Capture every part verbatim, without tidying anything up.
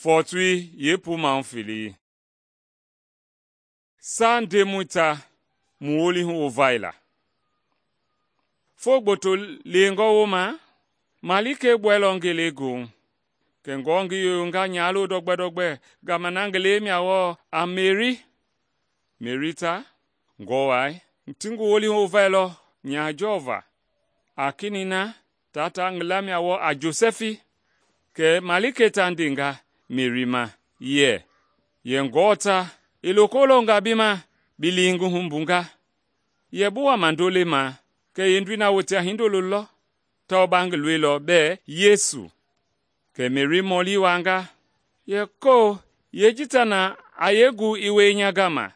Fɔɔtoi yeepuu felei. Saa Ndemɔi ta mu wolihu wovaila. Foo gboto lewengɔ wooma, malikei gbuɛilɔ ngelegoohu. Kɛ aako ngi yoyonga nyalo dɔgbɛ-dɔgbɛ gama na ngi lei mia wɔɔ a Meri. Meri ta, aako wai, ti ngi wolihu wovailɔ nyahajɔɔ va. A kenɛi na taa ta ngi lamia wɔɔ a Josɛfi. Kɛ malikei ta ndenga Meri ma yɛ, yɛ Ngewɔ ta i loko longa bi ma bi li ngi humbunga. Yɛ bi wama ndolei ma kɛ yeendoi na wote a hindolo lɔ, tawao ba ngi loilɔ bɛɛ Yesu. Kɛ Meri mɔli wuaanga, yɛ koo yeeji ta na a yee gu i wie nya gama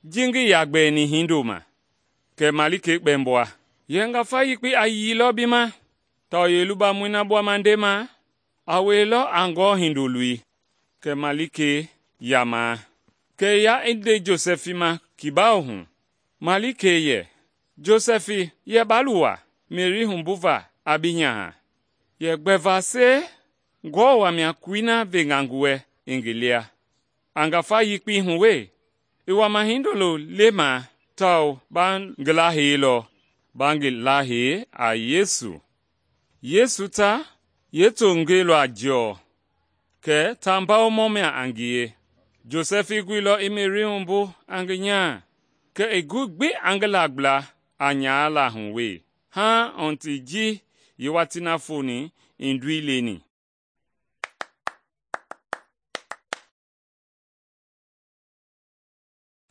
ji ngi yaa gbɛɛni hindo ma? Kɛ malikei kpɛmbɔa, yɛ ngafa yekpei a yiilɔ bi ma, tawao yeelubamɔi na gbuama ndema a wielɔ a Ngewɔ Hindoloi. Kɛ malikei yamaa, kɛ ya i nde Josɛfi ma kibaou hu. Malikei yɛ, Josɛfi, yɛ ba luwa Meri humbuva a bi nyaha. Yɛ gbɛvase Ngewɔ wamia kuloi na venga ngi wɛ i ngi lia. A ngafa yekpei hu wee, i wama hindolo lema tawao ba ngi laheilɔ, ba ngi lahei a Yesu. Yesu ta yeetongei lɔ a jɔɔ, kɛ ta mbawomɔ mia a ngie. Josɛfi guilɔ i Meri humbu a ngi nyaa, kɛ i gui gbi a ngi lagbla a nyaala hu wee, haaŋ ɔnti ji yeewatii na foni i ndoi leni.